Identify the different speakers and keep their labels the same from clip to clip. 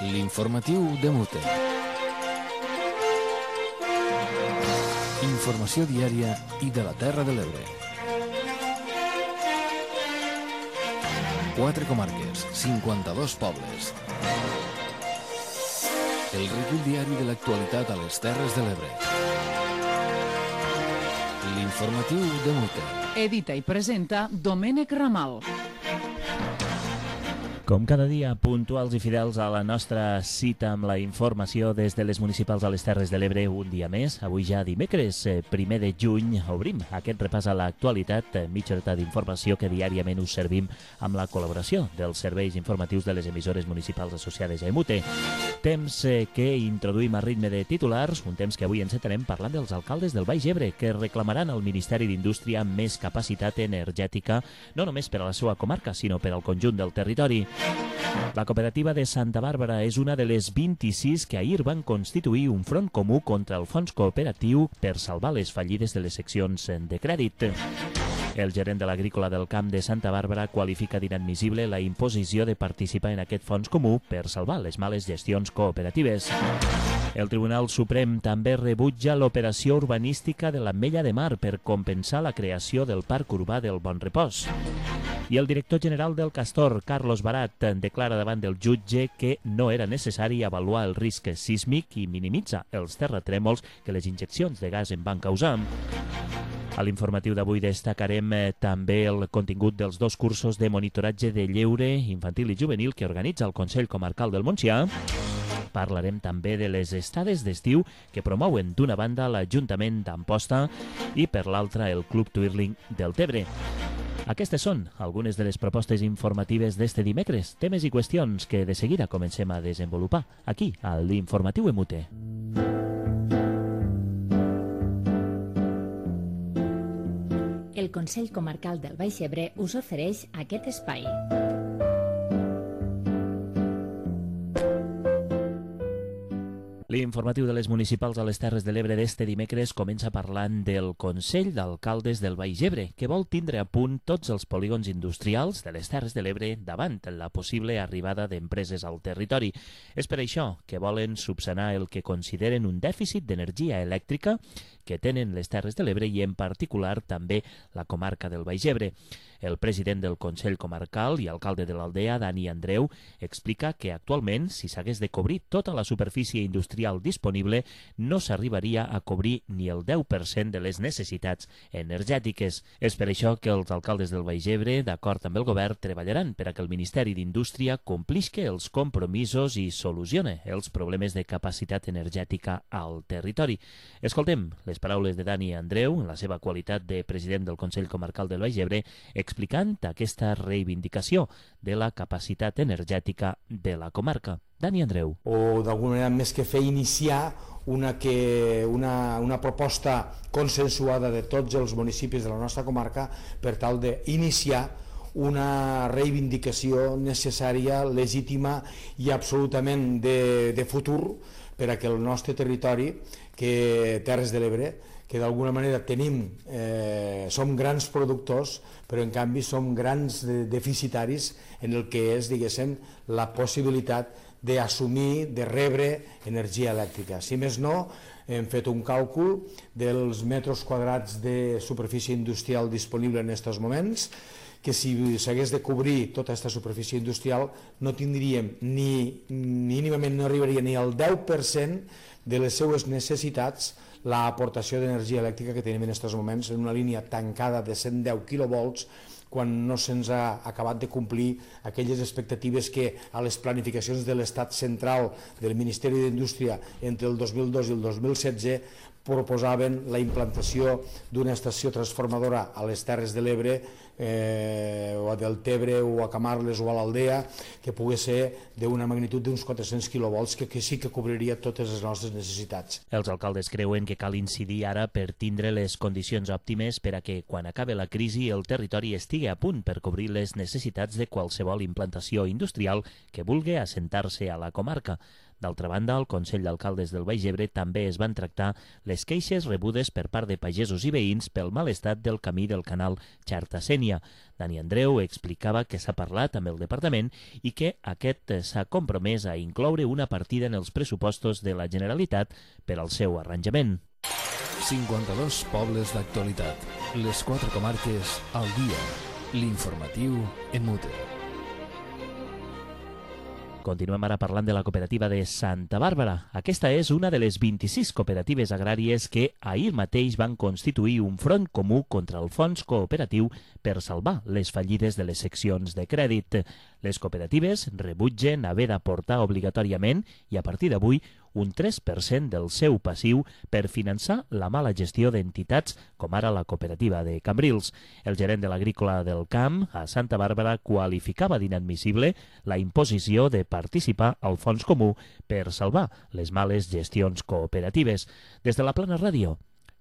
Speaker 1: L'informatiu de Mute. Informació diària i de la Terra de l'Ebre. 4 comarques, 52 pobles. El recull diari de l'actualitat a les Terres de l'Ebre. L'informatiu de Mute.
Speaker 2: Edita i presenta Domènec Ramal.
Speaker 3: Com cada dia, puntuals i fidels a la nostra cita amb la informació des de les municipals a les Terres de l'Ebre un dia més. Avui ja dimecres, 1 de juny, obrim aquest repàs a l'actualitat, mitja horeta d'informació que diàriament us servim amb la col·laboració dels serveis informatius de les emissores municipals associades a EMUTE. Temps que introduïm a ritme de titulars, un temps que avui encetarem parlant dels alcaldes del Baix Ebre, que reclamaran al Ministeri d'Indústria més capacitat energètica, no només per a la seva comarca, sinó per al conjunt del territori. La cooperativa de Santa Bàrbara és una de les 26 que ahir van constituir un front comú contra el fons cooperatiu per salvar les fallides de les seccions de crèdit. El gerent de l'Agrícola del Camp de Santa Bàrbara qualifica d'inadmissible la imposició de participar en aquest fons comú per salvar les males gestions cooperatives. El Tribunal Suprem també rebutja l'operació urbanística de l'Ametlla de Mar per compensar la creació del Parc Urbà del Bon Repòs. I el director general del Castor, Carlos Barat, declara davant del jutge que no era necessari avaluar el risc sísmic i minimitza els terratrèmols que les injeccions de gas en van causar. A l'informatiu d'avui destacarem també el contingut dels 2 cursos de monitoratge de lleure infantil i juvenil que organitza el Consell Comarcal del Montsià. Parlarem també de les estades d'estiu que promouen d'una banda l'Ajuntament d'Amposta i per l'altra el Club Twirling del Tebre. Aquestes són algunes de les propostes informatives d'este dimecres, temes i qüestions que de seguida comencem a desenvolupar aquí, a l'Informatiu EMUTE.
Speaker 4: El Consell Comarcal del Baix Ebre us ofereix aquest espai.
Speaker 3: L'informatiu de les municipals a les Terres de l'Ebre d'este dimecres comença parlant del Consell d'Alcaldes del Baix Ebre, que vol tindre a punt tots els polígons industrials de les Terres de l'Ebre davant la possible arribada d'empreses al territori. És per això que volen subsanar el que consideren un dèficit d'energia elèctrica que tenen les Terres de l'Ebre i en particular també la comarca del Baix Ebre. El president del Consell Comarcal i alcalde de l'Aldea, Dani Andreu, explica que actualment, si s'hagués de cobrir tota la superfície industrial disponible, no s'arribaria a cobrir ni el 10% de les necessitats energètiques. És per això que els alcaldes del Baix Ebre, d'acord amb el govern, treballaran per a que el Ministeri d'Indústria complisca els compromisos i solucione els problemes de capacitat energètica al territori. Escoltem les paraules de Dani Andreu, en la seva qualitat de president del Consell Comarcal del Baix Ebre, explicant aquesta reivindicació de la capacitat energètica de la comarca. Dani Andreu.
Speaker 5: O d'alguna manera més que fer iniciar una proposta consensuada de tots els municipis de la nostra comarca per tal d'iniciar una reivindicació necessària, legítima i absolutament de futur per a que el nostre territori, que Terres de l'Ebre, que d'alguna manera som grans productors, però en canvi som grans deficitaris en el que és, diguéssim, la possibilitat d'assumir, de rebre energia elèctrica. Si més no, hem fet un càlcul dels metres quadrats de superfície industrial disponible en aquests moments, que si s'hagués de cobrir tota aquesta superfície industrial no tindríem mínimament, no arribaria ni al 10% de les seues necessitats l'aportació d'energia elèctrica que tenim en aquests moments en una línia tancada de 110 quilovolts quan no se'ns ha acabat de complir aquelles expectatives que a les planificacions de l'Estat central del Ministeri d'Indústria entre el 2002 i el 2016 proposaven la implantació d'una estació transformadora a les Terres de l'Ebre o a Deltebre o a Camarles o a l'Aldea que pogués ser d'una magnitud d'uns 400 quilovolts que sí que cobriria totes les nostres necessitats.
Speaker 3: Els alcaldes creuen que cal incidir ara per tindre les condicions òptimes per a que quan acabe la crisi el territori estigui a punt per cobrir les necessitats de qualsevol implantació industrial que vulgui assentar-se a la comarca. D'altra banda, al Consell d'Alcaldes del Baix Ebre també es van tractar les queixes rebudes per part de pagesos i veïns pel mal estat del camí del canal Xarta-Sénia. Dani Andreu explicava que s'ha parlat amb el departament i que aquest s'ha compromès a incloure una partida en els pressupostos de la Generalitat per al seu arranjament.
Speaker 1: 52 pobles d'actualitat. Les 4 comarques al dia. L'informatiu en mute.
Speaker 3: Continuem ara parlant de la cooperativa de Santa Bàrbara. Aquesta és una de les 26 cooperatives agràries que ahir mateix van constituir un front comú contra el fons cooperatiu per salvar les fallides de les seccions de crèdit. Les cooperatives rebutgen haver d'aportar obligatòriament i a partir d'avui un 3% del seu passiu per finançar la mala gestió d'entitats com ara la cooperativa de Cambrils. El gerent de l'Agrícola del Camp a Santa Bàrbara qualificava d'inadmissible la imposició de participar al fons comú per salvar les males gestions cooperatives. Des de la Plana Ràdio,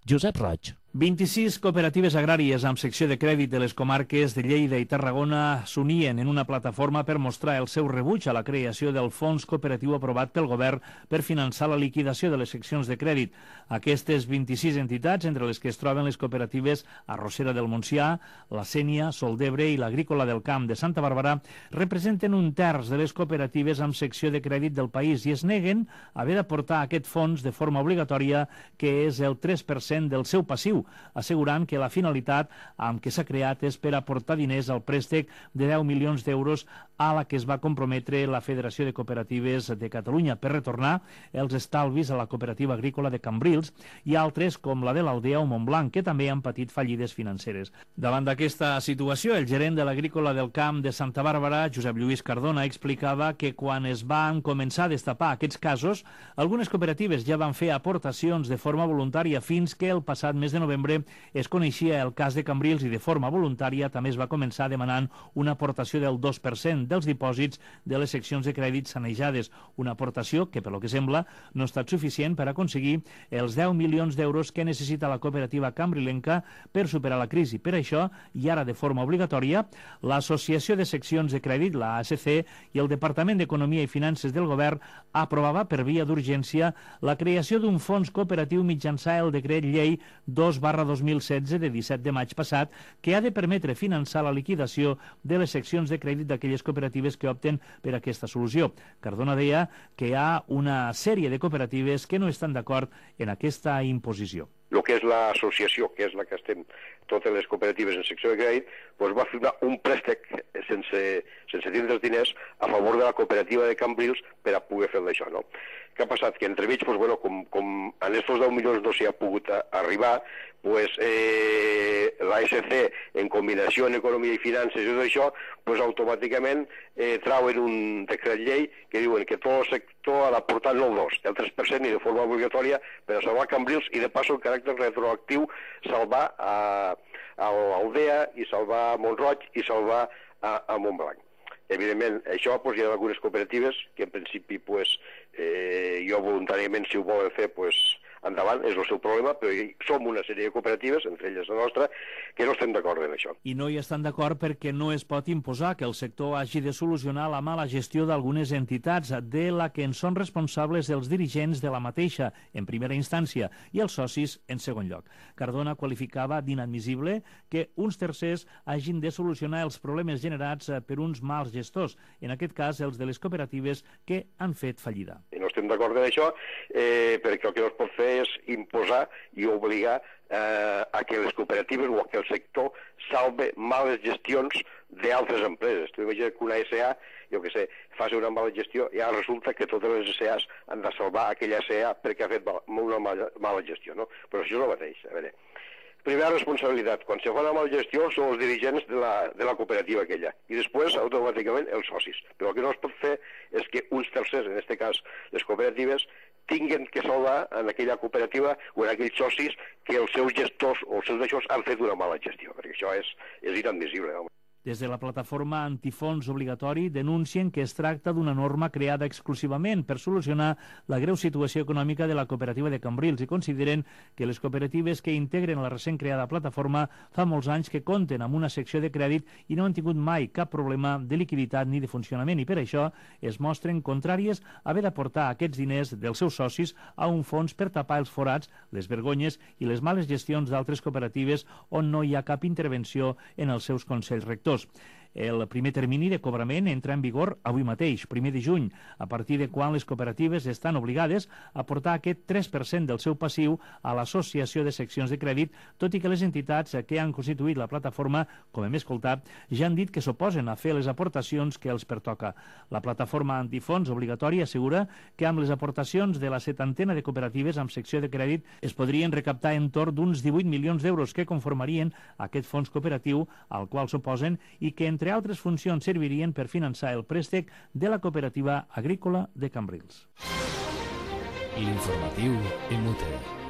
Speaker 3: Josep Roig.
Speaker 6: 26 cooperatives agràries amb secció de crèdit de les comarques de Lleida i Tarragona s'unien en una plataforma per mostrar el seu rebuig a la creació del fons cooperatiu aprovat pel govern per finançar la liquidació de les seccions de crèdit. Aquestes 26 entitats, entre les que es troben les cooperatives Arrossera del Montsià, la Sénia, Sol d'Ebre i l'Agrícola del Camp de Santa Bàrbara, representen un terç de les cooperatives amb secció de crèdit del país i es neguen a haver d'aportar aquest fons de forma obligatòria, que és el 3% del seu passiu, assegurant que la finalitat amb què s'ha creat és per aportar diners al préstec de 10 milions d'euros a la que es va comprometre la Federació de Cooperatives de Catalunya per retornar els estalvis a la cooperativa agrícola de Cambrils i altres com la de l'Aldea o Montblanc, que també han patit fallides financeres. Davant d'aquesta situació, el gerent de l'Agrícola del Camp de Santa Bàrbara, Josep Lluís Cardona, explicava que quan es van començar a destapar aquests casos, algunes cooperatives ja van fer aportacions de forma voluntària fins que el passat mes de novembre es coneixia el cas de Cambrils i de forma voluntària també es va començar demanant una aportació del 2% dels dipòsits de les seccions de crèdit sanejades, una aportació que, per lo que sembla, no ha estat suficient per aconseguir els 10 milions d'euros que necessita la cooperativa cambrilenca per superar la crisi. Per això, i ara de forma obligatòria, l'Associació de Seccions de Crèdit, la ASC, i el Departament d'Economia i Finances del Govern aprovava per via d'urgència la creació d'un fons cooperatiu mitjançant el decret llei 2/2016 de 17 de maig passat, que ha de permetre finançar la liquidació de les seccions de crèdit d'aquelles cooperatives que opten per aquesta solució. Cardona deia que hi ha una sèrie de cooperatives que no estan d'acord en aquesta imposició.
Speaker 7: El que és l'associació, que és la que estem totes les cooperatives en secció de crèdit, doncs va firmar un préstec sense tindre els diners a favor de la cooperativa de Cambrils per a poder fer això, no? Què ha passat? Que entremig, doncs, bueno, com en estos 10 milions no s'hi ha pogut arribar, doncs, l'ASC, en combinació en economia i finances i tot això, doncs automàticament trauen un decret llei que diuen que tot el sector ha d'aportar no el 2, el 3% i de forma obligatòria per a salvar Cambrils i de passo en caràcter retroactiu salvar a l'Aldea i salvar a Montroig i salvar a Montblanc. Evidentment, això hi ha algunes cooperatives que en principi jo voluntàriament, si ho volen fer, endavant, és el seu problema, però som una sèrie de cooperatives, entre elles la nostra, que no estem d'acord en això.
Speaker 6: I no hi estan d'acord perquè no es pot imposar que el sector hagi de solucionar la mala gestió d'algunes entitats, de la que en són responsables els dirigents de la mateixa, en primera instància, i els socis, en segon lloc. Cardona qualificava d'inadmissible que uns tercers hagin de solucionar els problemes generats per uns mals gestors, en aquest cas els de les cooperatives que han fet fallida.
Speaker 7: I no estem d'acord en això perquè el que no es pot fer és imposar i obligar a que les cooperatives o a que el sector salve males gestions d'altres empreses. Tu imagina que una SA, jo què sé, faci una mala gestió i ara resulta que totes les SAs han de salvar aquella SA perquè ha fet una mala gestió, no? Però això és el mateix. A veure, primera responsabilitat, quan se fa una mala gestió són els dirigents de la cooperativa aquella i després automàticament els socis. Però el que no es pot fer és que uns tercers, en aquest cas les cooperatives, tinguin que salvar en aquella cooperativa o en aquells socis que els seus gestors o els seus deixors han fet una mala gestió, perquè això és inadmissible.
Speaker 6: Des de la plataforma Antifons Obligatori denuncien que es tracta d'una norma creada exclusivament per solucionar la greu situació econòmica de la cooperativa de Cambrils i consideren que les cooperatives que integren la recent creada plataforma fa molts anys que compten amb una secció de crèdit i no han tingut mai cap problema de liquiditat ni de funcionament i per això es mostren contràries a haver d'aportar aquests diners dels seus socis a un fons per tapar els forats, les vergonyes i les males gestions d'altres cooperatives on no hi ha cap intervenció en els seus consells rectors. El primer termini de cobrament entra en vigor avui mateix, 1 de juny, a partir de quan les cooperatives estan obligades a aportar aquest 3% del seu passiu a l'associació de seccions de crèdit, tot i que les entitats que han constituït la plataforma, com hem escoltat, ja han dit que s'oposen a fer les aportacions que els pertoca. La plataforma Antifons Obligatori assegura que amb les aportacions de la 70ena de cooperatives amb secció de crèdit es podrien recaptar entorn d'uns 18 milions d'euros que conformarien aquest fons cooperatiu al qual s'oposen i que, entre altres funcions, servirien per finançar el préstec de la cooperativa agrícola de Cambrils.
Speaker 1: L'informatiu EMUTE.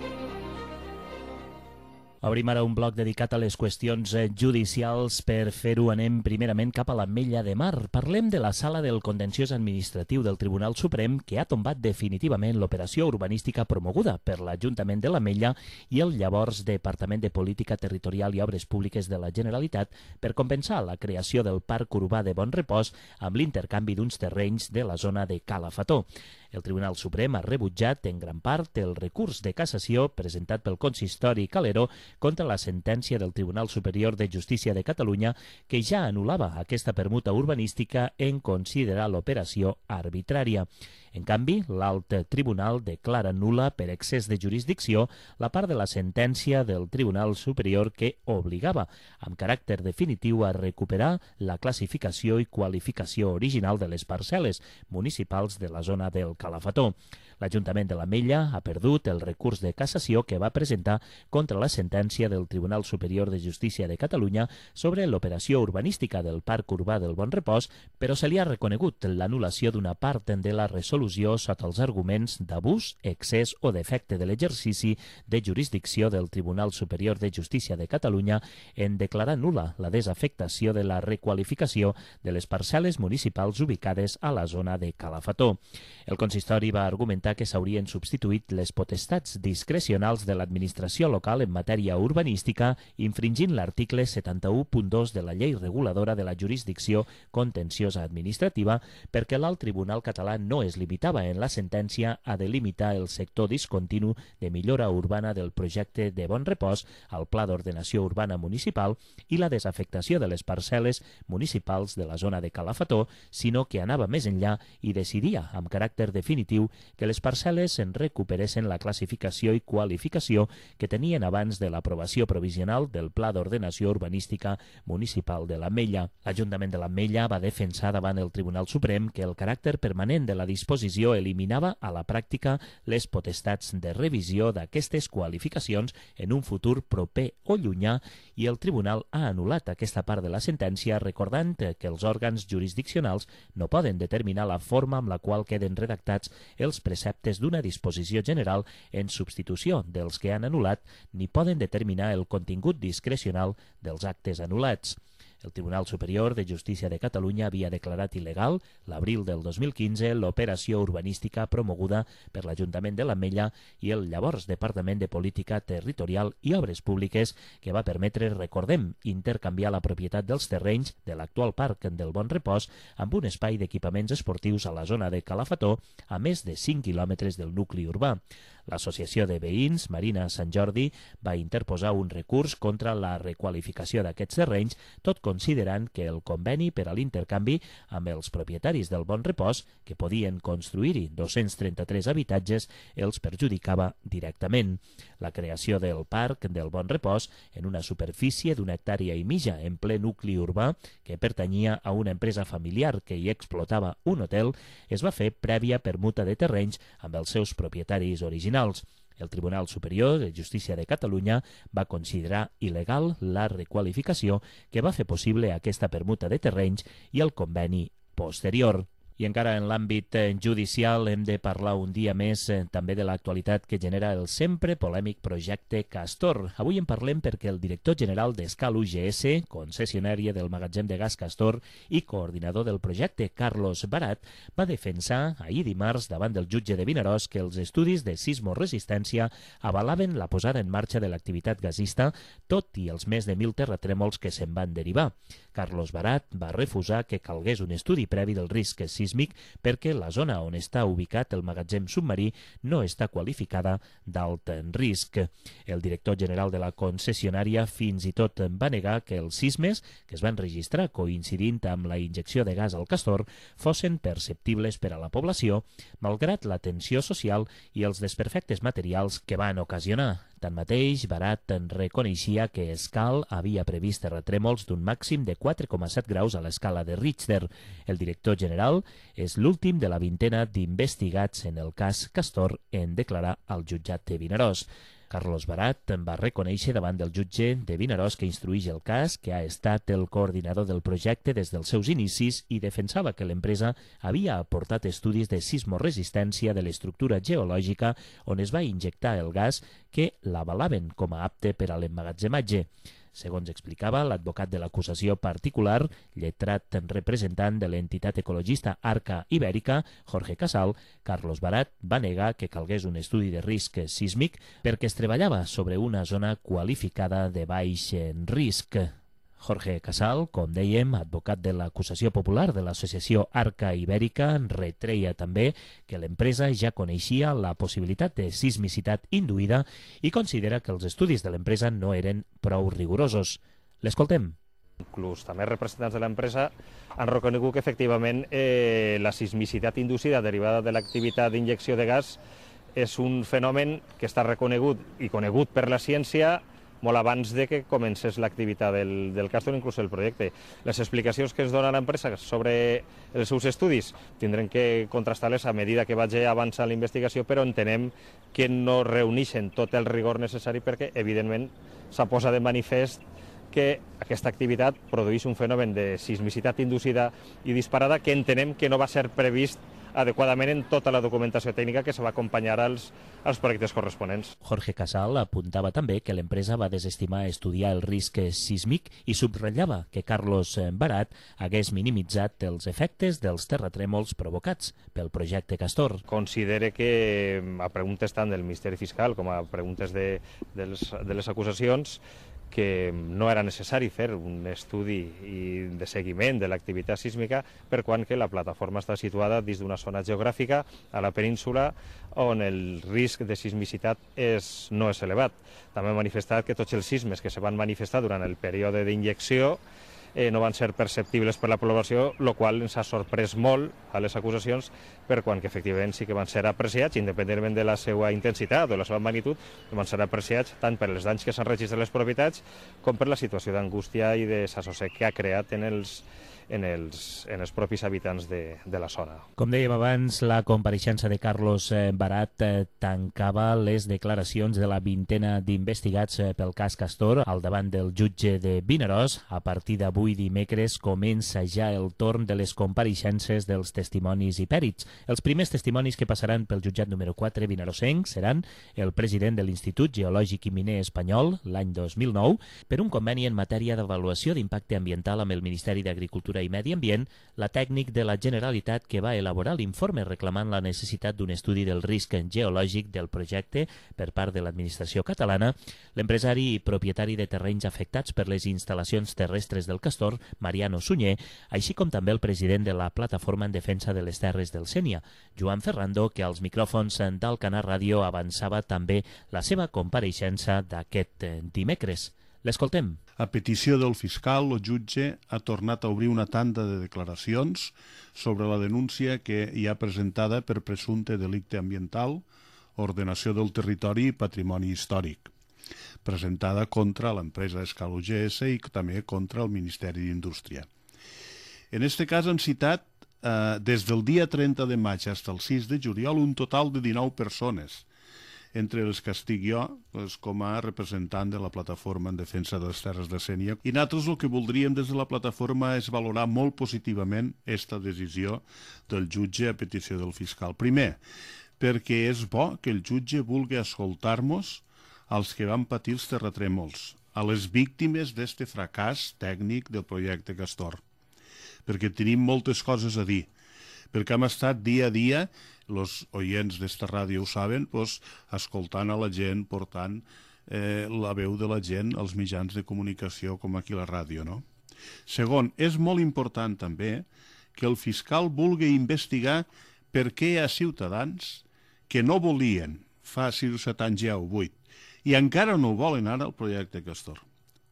Speaker 3: Obrim ara un bloc dedicat a les qüestions judicials. Per fer-ho anem primerament cap a l'Ametlla de Mar. Parlem de la Sala del Contenciós Administratiu del Tribunal Suprem que ha tombat definitivament l'operació urbanística promoguda per l'Ajuntament de l'Ametlla i el llavors Departament de Política Territorial i Obres Públiques de la Generalitat per compensar la creació del Parc Urbà de Bon Repòs amb l'intercanvi d'uns terrenys de la zona de Cala Fató. El Tribunal Suprem ha rebutjat en gran part el recurs de cassació presentat pel consistori Calero contra la sentència del Tribunal Superior de Justícia de Catalunya que ja anul·lava aquesta permuta urbanística en considerar l'operació arbitrària. En canvi, l'alt tribunal declara nul·la per excés de jurisdicció la part de la sentència del Tribunal Superior que obligava, amb caràcter definitiu, a recuperar la classificació i qualificació original de les parcel·les municipals de la zona del Calafató. L'Ajuntament de l'Ametlla ha perdut el recurs de cassació que va presentar contra la sentència del Tribunal Superior de Justícia de Catalunya sobre l'operació urbanística del Parc Urbà del Bon Repòs, però se li ha reconegut l'anul·lació d'una part de la resolució sota els arguments d'abús, excés o defecte de l'exercici de jurisdicció del Tribunal Superior de Justícia de Catalunya en declarar nul·la la desafectació de la requalificació de les parcel·les municipals ubicades a la zona de Calafató. El consistori va argumentar que s'haurien substituït les potestats discrecionals de l'administració local en matèria urbanística, infringint l'article 71.2 de la Llei Reguladora de la Jurisdicció Contenciosa Administrativa, perquè l'alt tribunal català no es limitava en la sentència a delimitar el sector discontinu de millora urbana del projecte de Bon Repòs al Pla d'Ordenació Urbana Municipal i la desafectació de les parcel·les municipals de la zona de Calafató, sinó que anava més enllà i decidia, amb caràcter definitiu, que les parcel·les en recuperessin la classificació i qualificació que tenien abans de l'aprovació provisional del Pla d'Ordenació Urbanística Municipal de l'Ametlla. L'Ajuntament de l'Ametlla va defensar davant el Tribunal Suprem que el caràcter permanent de la disposició eliminava a la pràctica les potestats de revisió d'aquestes qualificacions en un futur proper o llunyà i el Tribunal ha anul·lat aquesta part de la sentència recordant que els òrgans jurisdiccionals no poden determinar la forma amb la qual queden redactats els preceptes d'una disposició general en substitució dels que han anul·lat ni poden determinar el contingut discrecional dels actes anul·lats. El Tribunal Superior de Justícia de Catalunya havia declarat il·legal, l'abril del 2015, l'operació urbanística promoguda per l'Ajuntament de l'Ametlla i el llavors Departament de Política Territorial i Obres Públiques, que va permetre, recordem, intercanviar la propietat dels terrenys de l'actual Parc del Bon Repòs amb un espai d'equipaments esportius a la zona de Calafató, a més de 5 quilòmetres del nucli urbà. L'Associació de Veïns Marina Sant Jordi va interposar un recurs contra la requalificació d'aquests terrenys, tot considerant que el conveni per a l'intercanvi amb els propietaris del Bon Repòs, que podien construir-hi 233 habitatges, els perjudicava directament. La creació del Parc del Bon Repòs, en una superfície d'una hectàrea i mitja en ple nucli urbà, que pertanyia a una empresa familiar que hi explotava un hotel, es va fer prèvia permuta de terrenys amb els seus propietaris originals. El Tribunal Superior de Justícia de Catalunya va considerar il·legal la requalificació que va fer possible aquesta permuta de terrenys i el conveni posterior. I encara en l'àmbit judicial hem de parlar un dia més també de l'actualitat que genera el sempre polèmic projecte Castor. Avui en parlem perquè el director general d'Escal UGS, concessionària del magatzem de gas Castor i coordinador del projecte, Carlos Barat, va defensar ahir dimarts davant del jutge de Vinaròs que els estudis de sismoresistència avalaven la posada en marxa de l'activitat gasista, tot i els més de 1.000 terratrèmols que se'n van derivar. Carlos Barat va refusar que calgués un estudi previ del risc sísmic perquè la zona on està ubicat el magatzem submarí no està qualificada d'alt risc. El director general de la concessionària fins i tot va negar que els sismes que es van registrar coincidint amb la injecció de gas al Castor fossin perceptibles per a la població, malgrat la tensió social i els desperfectes materials que van ocasionar. Tanmateix, Barat reconeixia que Escal havia previst terratrèmols d'un màxim de 4,7 graus a l'escala de Richter. El director general és l'últim de la vintena d'investigats en el cas Castor en declarar al jutjat de Vinaròs. Carlos Barat va reconèixer davant del jutge de Vinaròs que instruïx el cas, que ha estat el coordinador del projecte des dels seus inicis i defensava que l'empresa havia aportat estudis de sismoresistència de l'estructura geològica on es va injectar el gas que l'avalaven com a apte per a l'emmagatzematge. Segons explicava l'advocat de l'acusació particular, lletrat representant de l'entitat ecologista Arca Ibèrica, Jorge Casal, Carlos Barat va negar que calgués un estudi de risc sísmic perquè es treballava sobre una zona qualificada de baix risc. Jorge Casal, com dèiem, advocat de l'acusació popular de l'associació Arca Ibèrica, retreia també que l'empresa ja coneixia la possibilitat de sismicitat induïda i considera que els estudis de l'empresa no eren prou rigorosos. L'escoltem.
Speaker 8: Inclús també representants de l'empresa han reconegut que efectivament la sismicitat inducida derivada de l'activitat d'injecció de gas és un fenomen que està reconegut i conegut per la ciència molt abans de que comencés l'activitat del Castor, inclús el projecte. Les explicacions que ens dona l'empresa sobre els seus estudis tindrem que contrastar-les a medida que vagi avançant la investigació, però entenem que no reuneixen tot el rigor necessari perquè, evidentment, s'ha posat de manifest que aquesta activitat produeix un fenomen de sismicitat inducida i disparada que entenem que no va ser previst adequadament en tota la documentació tècnica que se va acompanyar als projectes corresponents.
Speaker 3: Jorge Casal apuntava també que l'empresa va desestimar estudiar el risc sísmic i subratllava que Carlos Barat hagués minimitzat els efectes dels terratrèmols provocats pel projecte Castor.
Speaker 8: Considere que a preguntes tant del Ministeri Fiscal com a preguntes de les acusacions que no era necessari fer un estudi de seguiment de l'activitat sísmica per quant que la plataforma està situada dins d'una zona geogràfica a la península on el risc de sismicitat no és elevat. També ha manifestat que tots els sismes que se van manifestar durant el període d'injecció no van ser perceptibles per la població, el qual ens ha sorprès molt a les acusacions per quan que efectivament sí que van ser apreciats, independentment de la seva intensitat o la seva magnitud, van ser apreciats tant per els danys que s'han registrat a les propietats com per la situació d'angústia i de desassossec que ha creat en els propis habitants de la zona.
Speaker 3: Com dèiem abans, la compareixença de Carlos Barat tancava les declaracions de la vintena d'investigats pel cas Castor al davant del jutge de Vinaròs. A partir d'avui dimecres comença ja el torn de les compareixences dels testimonis i pèrits. Els primers testimonis que passaran pel jutjat número 4 vinarossenc seran el president de l'Institut Geològic i Miner Espanyol l'any 2009 per un conveni en matèria d'avaluació d'impacte ambiental amb el Ministeri d'Agricultura i Medi Ambient, la tècnic de la Generalitat que va elaborar l'informe reclamant la necessitat d'un estudi del risc geològic del projecte per part de l'administració catalana, l'empresari i propietari de terrenys afectats per les instal·lacions terrestres del Castor, Mariano Sunyer, així com també el president de la Plataforma en Defensa de les Terres del Sénia, Joan Ferrando, que als micròfons d'Alcanar Ràdio avançava també la seva compareixença d'aquest dimecres. L'escoltem.
Speaker 9: A petició del fiscal, el jutge ha tornat a obrir una tanda de declaracions sobre la denúncia que hi ha presentada per presumpte delicte ambiental, ordenació del territori i patrimoni històric, presentada contra l'empresa Escal UGS i també contra el Ministeri d'Indústria. En aquest cas han citat des del dia 30 de maig fins al 6 de juliol un total de 19 persones, entre els que estic jo com a representant de la plataforma en defensa de les terres de Sénia. I nosaltres el que voldríem des de la plataforma és valorar molt positivament aquesta decisió del jutge a petició del fiscal. Primer, perquè és bo que el jutge vulgui escoltar-nos als que van patir els terratrèmols, a les víctimes d'este fracàs tècnic del projecte Castor, perquè tenim moltes coses a dir, perquè hem estat dia a dia, els oients d'esta ràdio ho saben, escoltant a la gent, portant la veu de la gent als mitjans de comunicació com aquí la ràdio, no? Segon, és molt important també que el fiscal vulgui investigar per què hi ha ciutadans que no volien fa 6 o 7 anys ja o 8 i encara no volen ara el projecte Castor.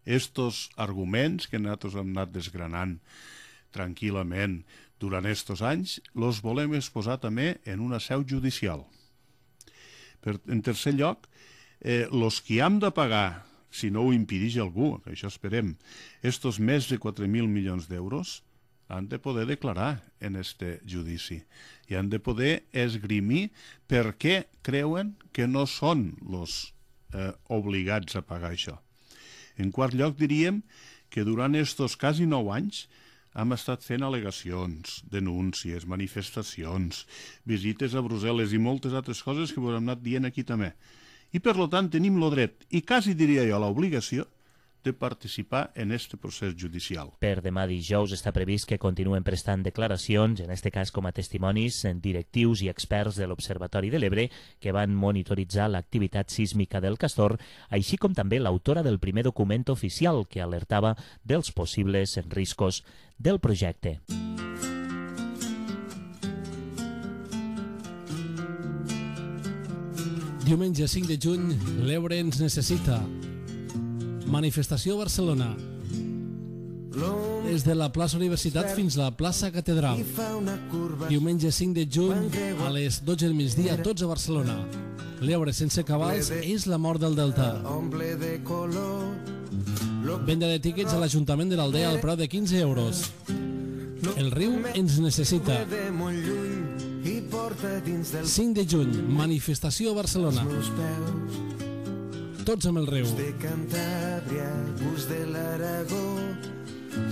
Speaker 9: Estos arguments que nosaltres hem anat desgranant tranquil·lament durant estos anys, los volem exposar també en una seu judicial. En tercer lloc, los que hem de pagar, si no ho impedeix algú, que això esperem, estos més de 4.000 milions d'euros, han de poder declarar en este judici i han de poder esgrimir per què creuen que no són los obligats a pagar això. En quart lloc, diríem que durant estos quasi 9 anys hem estat fent al·legacions, denúncies, manifestacions, visites a Brussel·les i moltes altres coses que hem anat dient aquí també. I per tant tenim el dret, i quasi diria jo l'obligació, de participar en este procés judicial.
Speaker 3: Per demà dijous està previst que continuen prestant declaracions, en este cas com a testimonis, directius i experts de l'Observatori de l'Ebre que van monitoritzar l'activitat sísmica del Castor, així com també l'autora del primer document oficial que alertava dels possibles riscos del projecte.
Speaker 10: Diumenge 5 de juny, l'Ebre ens necessita. Manifestació a Barcelona. Des de la plaça Universitat fins a la plaça Catedral. Diumenge 5 de juny a les 12 del migdia, tots a Barcelona. L'Ebre sense cabals és la mort del Delta. Venda de tíquets a l'Ajuntament de l'Aldea al preu de 15 euros. El riu ens necessita. 5 de juny, manifestació a Barcelona. Tots amb el riu.
Speaker 11: De Cantàbria, gust de l'Aragó,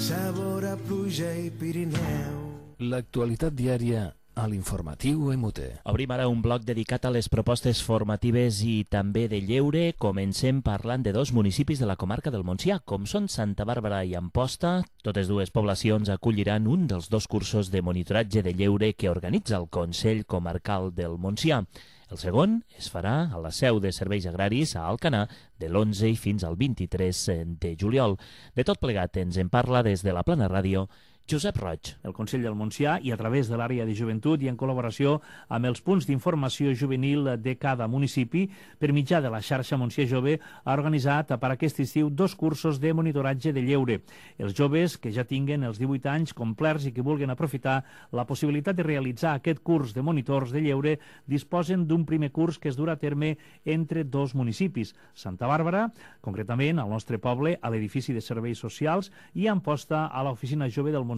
Speaker 11: sabor a pluja i Pirineu.
Speaker 1: L'actualitat diària a l'informatiu MUT.
Speaker 3: Obrim ara un bloc dedicat a les propostes formatives i també de lleure. Comencem parlant de 2 municipis de la comarca del Montsià, com són Santa Bàrbara i Amposta. Totes 2 poblacions acolliran un dels 2 cursos de monitoratge de lleure que organitza el Consell Comarcal del Montsià. El segon es farà a la seu de Serveis Agraris a Alcanar de l'11 i fins al 23 de juliol. De tot plegat ens en parla des de la Plana Ràdio Josep Roig.
Speaker 6: El Consell del Montsià i a través de l'àrea de joventut i en col·laboració amb els punts d'informació juvenil de cada municipi, per mitjà de la xarxa Montsià Jove, ha organitzat per aquest estiu 2 cursos de monitoratge de lleure. Els joves que ja tinguen els 18 anys complerts i que vulguin aprofitar la possibilitat de realitzar aquest curs de monitors de lleure disposen d'un primer curs que es durà a terme entre 2 municipis, Santa Bàrbara, concretament al nostre poble, a l'edifici de serveis socials, i Amposta, a l'oficina jove del Montsià.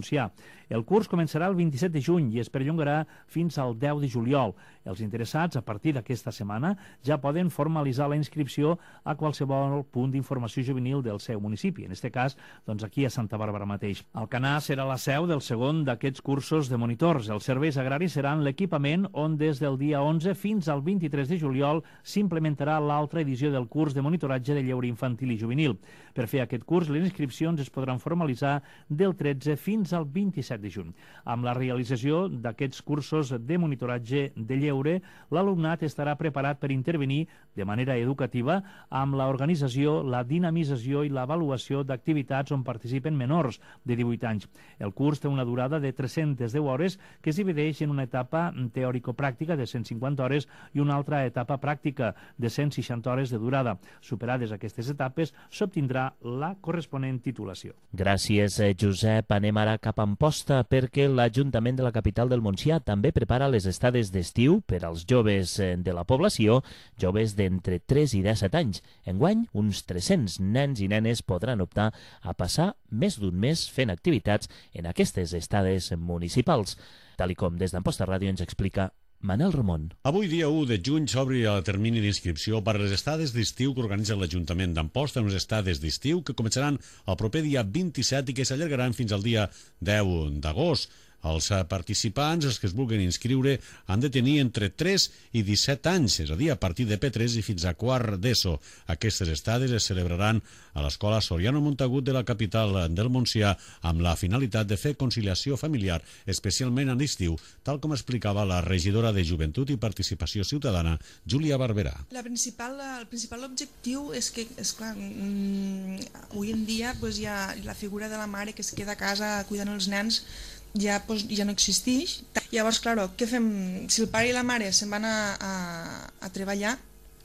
Speaker 6: El curs començarà el 27 de juny i es perllongarà fins al 10 de juliol. Els interessats, a partir d'aquesta setmana, ja poden formalitzar la inscripció a qualsevol punt d'informació juvenil del seu municipi, en aquest cas, doncs aquí a Santa Bàrbara mateix. Alcanar serà la seu del segon d'aquests cursos de monitors. Els serveis agraris seran l'equipament on des del dia 11 fins al 23 de juliol s'implementarà l'altra edició del curs de monitoratge de lleure infantil i juvenil. Per fer aquest curs, les inscripcions es podran formalitzar del 13 fins al 27 de juny. Amb la realització d'aquests cursos de monitoratge de lleure, l'alumnat estarà preparat per intervenir de manera educativa amb l'organització, la dinamització i l'avaluació d'activitats on participen menors de 18 anys. El curs té una durada de 310 hores que es divideix en una etapa teòrico-pràctica de 150 hores i una altra etapa pràctica de 160 hores de durada. Superades aquestes etapes, s'obtindrà la corresponent titulació.
Speaker 3: Gràcies, Josep. Anem ara cap a Amposta perquè l'Ajuntament de la capital del Montsià també prepara les estades d'estiu per als joves de la població, joves d'entre 3 i 17 anys. Enguany, uns 300 nens i nenes podran optar a passar més d'un mes fent activitats en aquestes estades municipals. Tal com des d'Amposta Ràdio ens explica Manel Ramon.
Speaker 12: Avui, dia 1 de juny, s'obre el termini d'inscripció per a les estades d'estiu que organitza l'Ajuntament d'Amposta, unes estades d'estiu que començaran el proper dia 27 i que s'allargaran fins al dia 10 d'agost. Els participants, els que es vulguin inscriure, han de tenir entre 3 i 17 anys, és a dir, a partir de P3 i fins a quart d'ESO. Aquestes estades es celebraran a l'Escola Soriano Montagut de la capital del Montsià amb la finalitat de fer conciliació familiar, especialment a l'estiu, tal com explicava la regidora de Joventut i Participació Ciutadana, Júlia Barberà.
Speaker 13: El principal objectiu és que, esclar, avui en dia hi ha la figura de la mare que es queda a casa cuidant els nens, ja no existeix. Llavors, clar, què fem? Si el pare i la mare se'n van a treballar,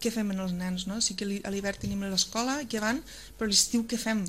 Speaker 13: què fem amb els nens? Sí que a l'hivern tenim l'escola, que van, però a l'estiu què fem?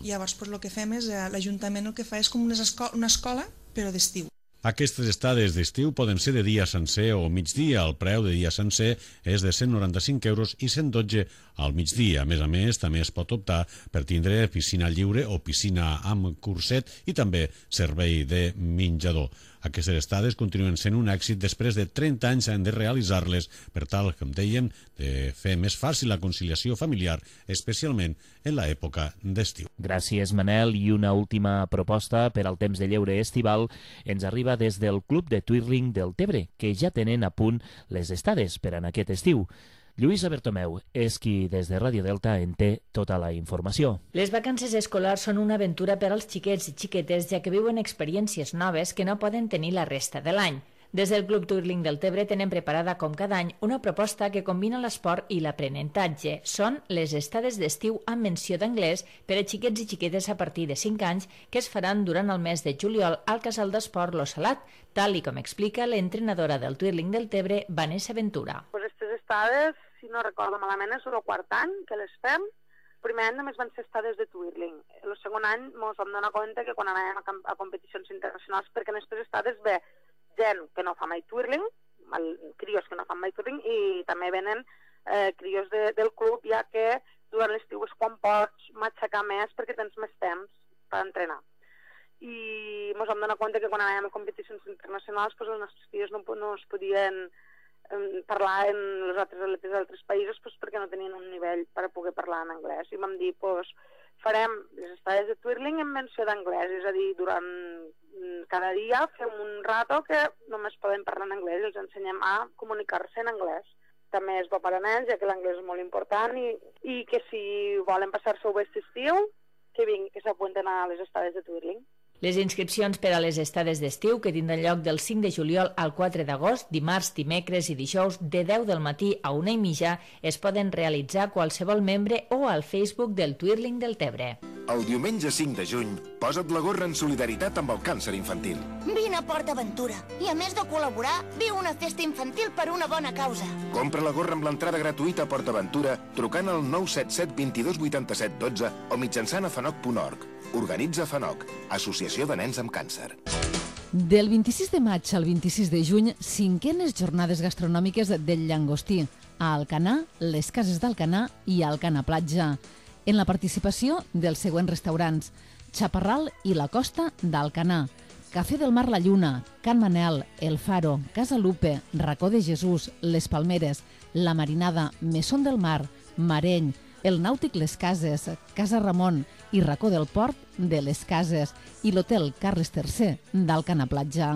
Speaker 13: Llavors, el que fem és, l'Ajuntament el que fa és com una escola, però d'estiu.
Speaker 12: Aquestes estades d'estiu poden ser de dia sencer o migdia. El preu de dia sencer és de 195 euros i 112 al migdia. A més, també es pot optar per tindre piscina lliure o piscina amb curset i també servei de menjador. Aquestes estades continuen sent un èxit després de 30 anys de realitzar-les per tal, com dèiem, de fer més fàcil la conciliació familiar, especialment en l'època d'estiu.
Speaker 3: Gràcies, Manel. I una última proposta per al temps de lleure estival ens arriba des del Club de Twirling del Tebre, que ja tenen a punt les estades per en aquest estiu. Lluïsa Bertomeu és qui des de Ràdio Delta en té tota la informació.
Speaker 4: Les vacances escolars són una aventura per als xiquets i xiquetes, ja que viuen experiències noves que no poden tenir la resta de l'any. Des del Club Twirling del Tebre tenen preparada com cada any una proposta que combina l'esport i l'aprenentatge. Són les estades d'estiu amb menció d'anglès per a xiquets i xiquetes a partir de 5 anys que es faran durant el mes de juliol al Casal d'Esport Lo Salat, tal i com explica l'entrenadora del Twirling del Tebre, Vanessa Ventura.
Speaker 14: Aquestes estades, si no recordo malament, és el quart any que les fem. El primer any només van ser estades de twirling. El segon any ens vam donar compte que quan anàvem a competicions internacionals, perquè en aquestes estades ve gent que no fa mai twirling, crios que no fan mai twirling, i també venen crios del club, ja que durant l'estiu és quan pots matxacar més perquè tens més temps per entrenar. I ens vam donar compte que quan anàvem a competicions internacionals els nostres crios no es podien parlar en els altres atletes d'altres països perquè no tenien un nivell per poder parlar en anglès. I vam dir, farem les estades de twirling en menció d'anglès, és a dir, durant cada dia fem un rato que només poden parlar en anglès i els ensenyem a comunicar-se en anglès. També és bo per a nens, ja que l'anglès és molt important, i que si volen passar-se-ho bé aquest estiu, que vinguin, que s'apunten a les estades de twirling.
Speaker 4: Les inscripcions per a les estades d'estiu, que tindran lloc del 5 de juliol al 4 d'agost, dimarts, dimecres i dijous, de 10 del matí a 1:30, es poden realitzar qualsevol membre o al Facebook del Twirling del Tebre.
Speaker 15: El diumenge 5 de juny, posa't la gorra en solidaritat amb el càncer infantil.
Speaker 16: Vine a Port Aventura i, a més de col·laborar, viu una festa infantil per una bona causa.
Speaker 15: Compra la gorra amb l'entrada gratuïta a Port Aventura trucant al 977 22 87 12 o mitjançant a fanoc.org. Organitza FANOC, Associació de Nens amb Càncer.
Speaker 2: Del 26 de maig al 26 de juny, 5enes jornades gastronòmiques del Llangostí, a Alcanar, les cases d'Alcanar i Alcanar Platja. En la participació dels següents restaurants: Chaparral i la Costa d'Alcanar, Cafè del Mar La Lluna, Can Manel, El Faro, Casa Lupe, Racó de Jesús, Les Palmeres, La Marinada, Mesón del Mar, Mareny, el Nàutic Les Cases, Casa Ramon i Racó del Port de Les Cases i l'Hotel Carles III d'Alcanar Platja.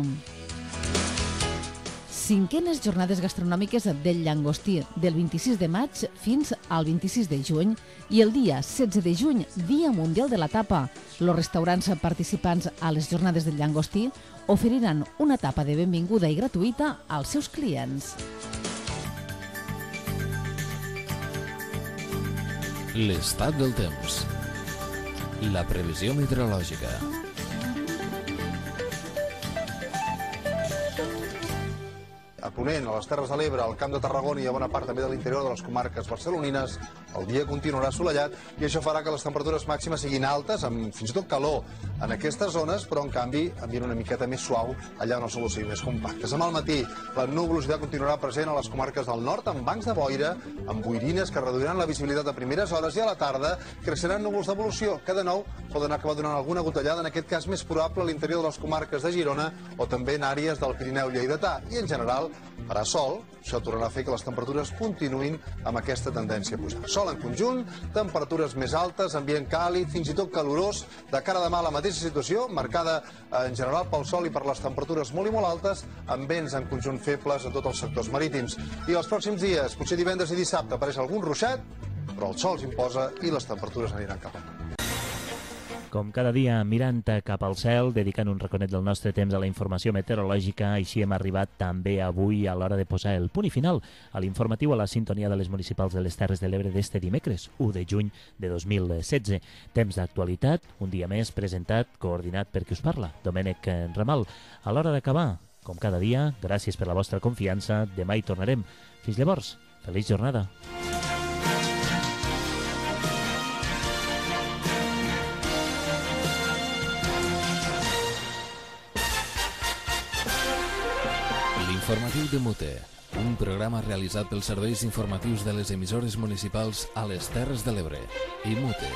Speaker 2: 5enes jornades gastronòmiques del Llangostí, del 26 de maig fins al 26 de juny, i el dia 16 de juny, Dia Mundial de la Tapa. Els restaurants participants a les jornades del Llangostí oferiran una tapa de benvinguda i gratuïta als seus clients.
Speaker 1: L'estat del temps. La previsió meteorològica.
Speaker 17: A ponent, a les Terres de l'Ebre, al Camp de Tarragona i a bona part també de l'interior de les comarques barcelonines, el dia continuarà assolellat i això farà que les temperatures màximes siguin altes, amb fins i tot calor en aquestes zones, però en canvi ambient una miqueta més suau allà on el sol sigui més compactes. Demà al matí La nuvolositat continuarà present a les comarques del nord, amb bancs de boira, amb boirines que reduiran la visibilitat a primeres hores, i a la tarda creixeran núvols d'evolució, que de nou poden acabar donant alguna gotellada, en aquest cas més probable a l'interior de les comarques de Girona o també en àrees del Pirineu lleidatà. I en general farà sol, això tornarà a fer que les temperatures continuïn amb aquesta tendència a pujar. Sol en conjunt, temperatures més altes, ambient càlid, fins i tot calorós. De cara a demà la mateixa situació, marcada en general pel sol i per les temperatures molt i molt altes, amb vents en conjunt febles a tots els sectors marítims. I els pròxims dies, potser divendres i dissabte, apareix algun ruixat, però el sol s'imposa i les temperatures aniran cap amunt.
Speaker 3: Com cada dia, mirant cap al cel, dedicant un raconet del nostre temps a la informació meteorològica, així hem arribat també avui a l'hora de posar el punt i final a l'informatiu a la sintonia de les municipals de les Terres de l'Ebre d'este dimecres, 1 de juny de 2016. Temps d'actualitat, un dia més presentat, coordinat per qui us parla, Domènec Ramal. A l'hora d'acabar, com cada dia, gràcies per la vostra confiança, demà hi tornarem. Fins llavors, feliç jornada.
Speaker 1: L'informatiu de Mute, un programa realitzat pels serveis informatius de les emissores municipals a les Terres de l'Ebre i Mute.